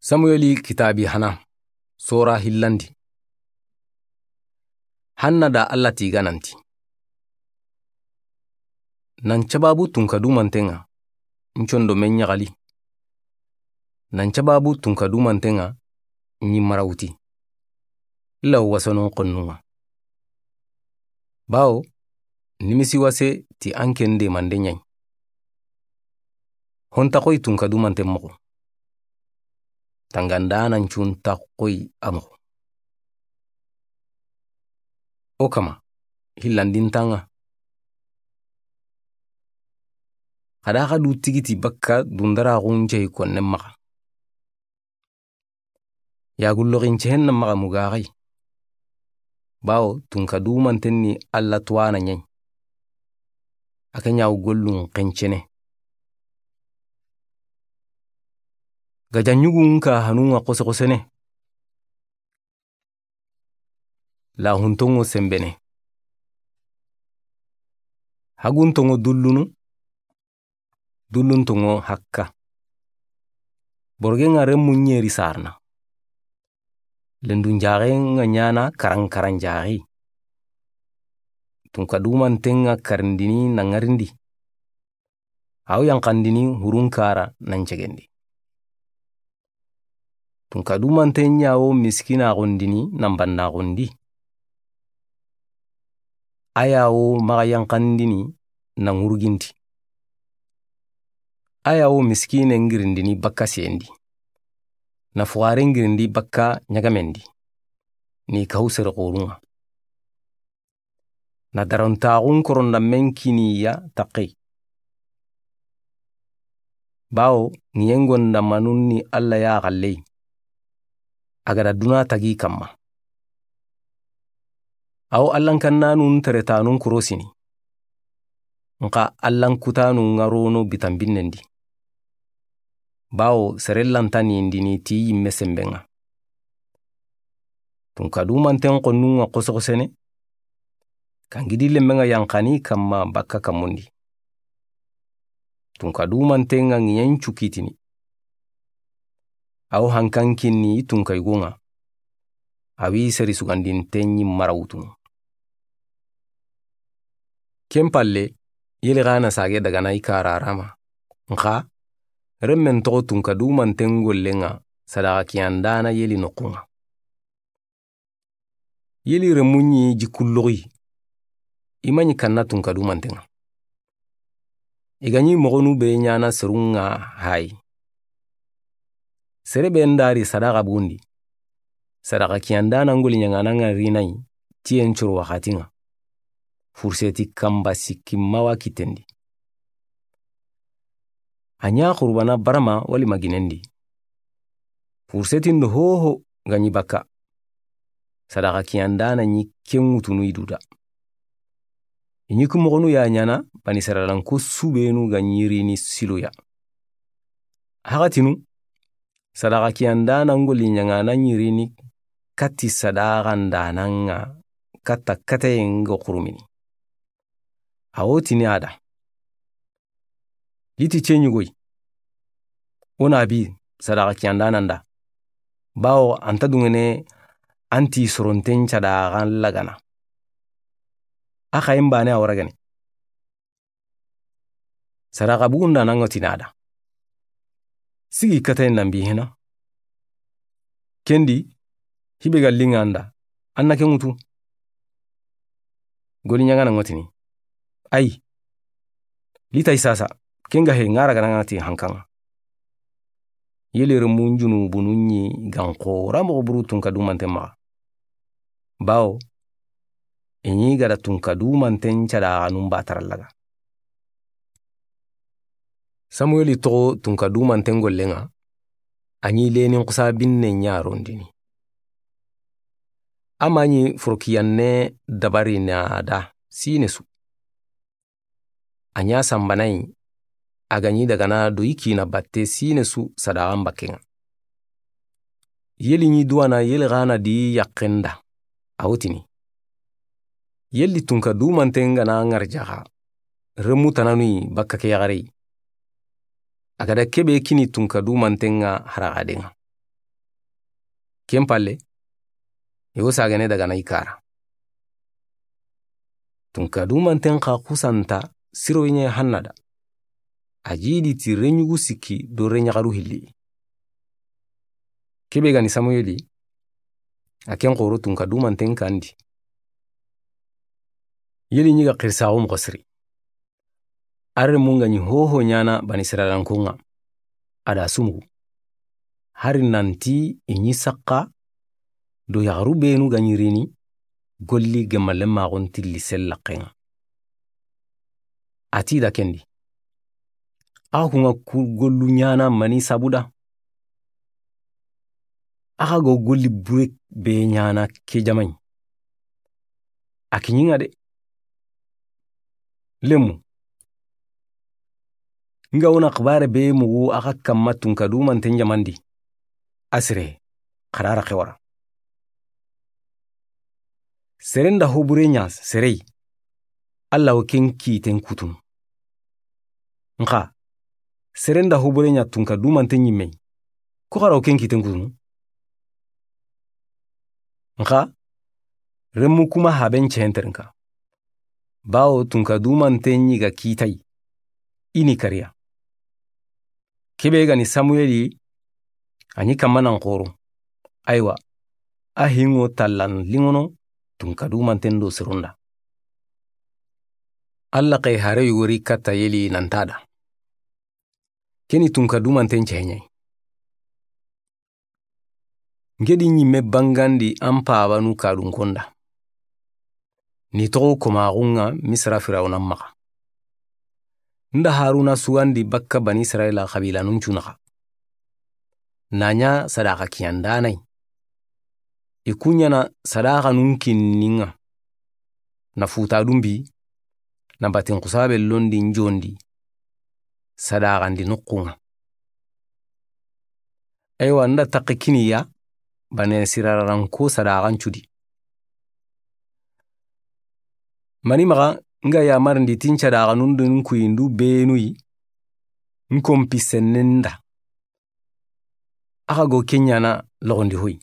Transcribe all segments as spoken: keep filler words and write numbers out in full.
Samuyeli kitaabi hana, sora hillandi. Hanna da Alla ti i ga nanti: Nan sababu tunka dumanten ŋa, n condo men ɲaxali. Nan sababu tunka dumanten ŋa, ɲi marawuti. Illa wasonon xonnun ŋa. Bawo, nimisi wase ti an ken de mande ɲayi. Honta xoy tunka dumanten moxo. Tangandana ncunta xoy a moxo. O kama, hillandintan ŋa. Xada xa du tigiti bakka dundaraxun cey konnen maxa. Yagulloxin cehen na maxa mugaxay. Bawo tunka dumanten ni Alla tuwana ɲayi. A ke ɲawo gollun xencene. Gajaɲugun ka hanun ŋa xosoxosene. Lahuntongo sembene. Haguntongo dullunu. Dulluntongo hakka. Borgen ŋa remmu ɲeri sarna. Lendun jaxen ŋa ɲana karankaran jaxi. Tunka dumanten ŋa karindini na ŋarindi. Aw yanqandini hurunkara nan cegendi. Tunka dumanten ɲawo miskinaxundini nan bannaxundi. A yawo maxa yanqandini na ŋurginti. A yawo miskine ngirindini bakka sendi. Na fuxare ngirindi bakka ɲagamendi. Ni kahu sere xorun ŋa. Na darontaxun koronda men kiniya taxey. Bawo ŋiyengonda manun ni Alla ya xalley. A gada duna tagi kamma. Awo Allan kannanun teretanun kurosini. Nxa Allan kutanun ŋa rono bitanbinnendi. Bawo sere lanta nindini ti yimme semben ŋa. Tunka dumanten xonnun ŋa xosoxosene. Kangidi lemmen ŋa yanqani kamma bakka kammundi. Tunka dumanten ŋa ŋiyen cukitini. Aw hankan kinni i tunka yugo ŋa. Awi seri sugandinten ɲi marawutunu. Ken palle, yeli xana sage dagana i kararama. Nxa, remmen toxo tunka dumanten gollen ŋa, sadaxa kiyandana yeli noxun ŋa. Yeli remuɲi jikulloxi. I maɲi kanna tunka dumanten ŋa. I ga ɲi moxonu be ɲana serun ŋa hayi. Sere be ndari sadaxa bundi. Sadaxa kiyandana ngoli ɲaŋana ŋa rinayi, tiyen coro waxati ŋa. Furseti kamba sikki mawa kitendi. A ɲa xurbana barama wali maginendi. Furseti ndo hoho ga ɲi bakka. Sadaxa kiyandana ɲi ken ŋutunu i duda. I ɲi ku moxonu ya ɲana bani saralanko subenu ga ɲi rini siloya. Haxatinu, sadaxa kiyandana ngoli ɲaŋana ɲi rini kati sadaxa ndana ŋa kata kataye ŋa xurumini. Awo tini a da. Liti ce ɲugoy. O na bi sadaxa kiyandana nda. Bawo anta dungene anti soronten cadaxan lagana. A xayin bane a waragane. Sadaxa bugunda nan ŋa tini a da. Sigi katayen nan bi hina. Kendi, hibe ga linŋa nda, an na ke ŋutu. Goli ɲaŋana ŋa tini. Ay. Litay sasa, ken ga he ŋara gana ŋa ti hankan ŋa. Yeli remun junubunu ɲi gan xora moxo buru tunka dumanten maxa. Bawo, i ɲi gada tunka dumanten cadaxanun batarallaga. Samueli toxo tunka dumanten gollen ŋa, a ɲi lenin xusa binne ɲarondini. A ma ɲi forokiyanne dabari na da sine su. A ɲa sanbanayi, a ga ɲi dagana do i kina batte sine su sadaxan bakken ŋa. Yeli ɲi duwana yeli xana di yaxen da, a wo tini. Yeli tunka dumanten gana ŋarjaxa, remu tananuyi bakka ke yaxareyi. A gada kebe kini tunka dumanten ŋa haraxaden ŋa. Ken palle, i wo sagene daga na i kara. Tunka dumanten xa xusanta siroye ɲa hannada. A jidi ti reɲugu sikki do reɲaxaru hilli. Kebe gani Samuyeli, a ken xoro tunka dumanten kandi. Yeli ɲi ga xirisaxu moxo siri. A renmun ga ɲi hoho ɲana Bani Israilankon ŋa, a da sumugu. Hari nanti i ɲi saxa do yaxaru benu ga ɲi rini golli gemmallen maxon tilli sellaxen ŋa. A ti da kendi. A xunga ku gollu ɲana mani sabuda. Axa go golli bure be ɲana ke jamaɲi. A kiɲi ŋa de. Lemu. Nga wona xibare be mugu axa kamma tunka dumanten jamandi. A sire, xarara xewara. Seren da hobure ɲa serei. Alla wo ken kiten kutunu. Nxa, seren da hobure ɲa tunka dumanten ɲimme. Ku xara wo ken kiten kutunu. Nxa, remmu kuma haben cehenterinka. Bawo tunka dumanten ɲi ga kitay. I ni kariya. Kebe gani Samuyeli, a ɲi kamma nan xoro. Aywa, a hingo tallan lingono tunka dumanten do seronda. Alla xay hare yugori katta Yeli nantada. Keni tunka dumanten ceheɲay. Ngedi ɲimme bangandi an pabanu kadunkonda. Ni toxo komaxunga Misra Firawuna maxa. Nda Haruna sugandi bakka Bani Israila xabilanun cunaxa. Na ɲa sadaxa kiyandanai. I kuɲana sadaxanun kinninga. Na futa dumbi, na batin xusabe londi njondi. Sadaxandi nuxunga. Aywa, nda taxe kiniya, Bani Israilanko sadaxan cudi. Mani maxa nga yamarindi tin cadaxanun do n kuyindu benuyi, n kompi sennenda. Axa go keɲana loxondi hoy.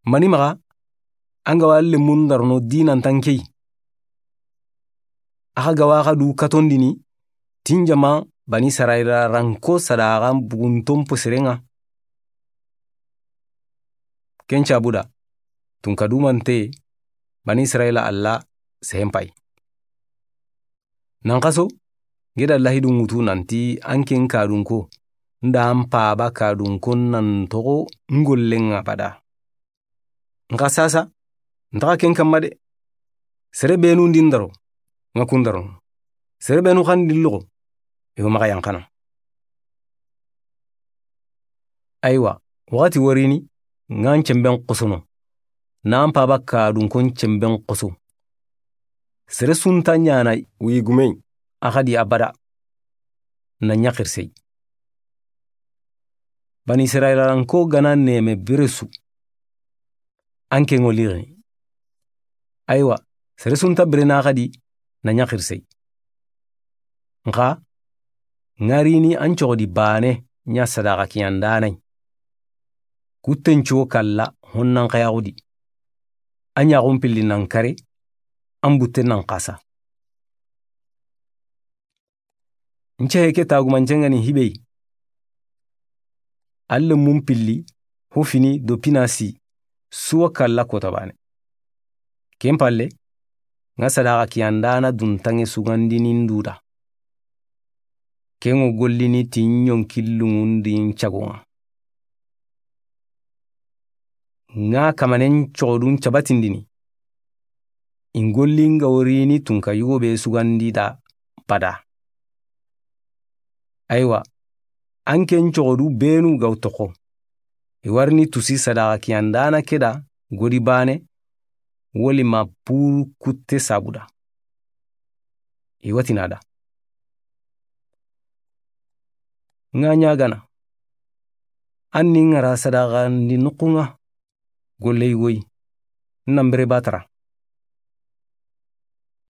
Mani maxa, an ga wa lemmun darono dinantan key. Axa ga wa xa du katondini, tin jama Bani Israila ranko sadaxan bugunton posirenga. Ken cabuda, tunka dumante, Bani Israila Alla sehempay. Nan xaso, ngeda lahidu ŋutu nanti an ken kadunko, nda an paba kadunkon nan toxo ngollen abada. Nxa sasa, ntaxa ken kamma de. Sere benu ndi ndaro, nga kun daro. Sere benu xan ndi loxo, yo maxa yanxana. Aywa, waxati warini, ngan cemben xosono. Nan paba kadunkon cemben xoso. Sere sunta ɲana wi gumey. Axa di abada. Na ɲaxirsey. Bani Israilanko gana neme beresu. An ke ŋo lirini. Aywa, sere sunta berena xadi na ɲaxirsey. Nxa, ŋarini an coxodi bane ɲa sadaxa kiyandanay. Kutten cuwo kalla honnan xayaxudi. A ɲaxun pilli nan kare, an butte nan xasa. Nce heke tagumancengani hibey. Alle mun pilli, hufini do pinasi, suwa kalla kota bane. Ken palle, nga sadaxa kiyandana duntange sugandini nduda. Ken ŋo gollini ti ɲonkillungundi ncagonga. Nga kamanen coxodun cabatindini. In golli nga worini tunka yugo be sugandi da bada. Aywa, an ken coxodu benu gaw toxo. I warini tusi sadaxa kiyandana keda godi bane, woli ma puru kutte sabuda. I watina da. Nga ɲagana. An ni ngara sadaxa ndi nukunga. Golle yugoyi. Nan bere batara.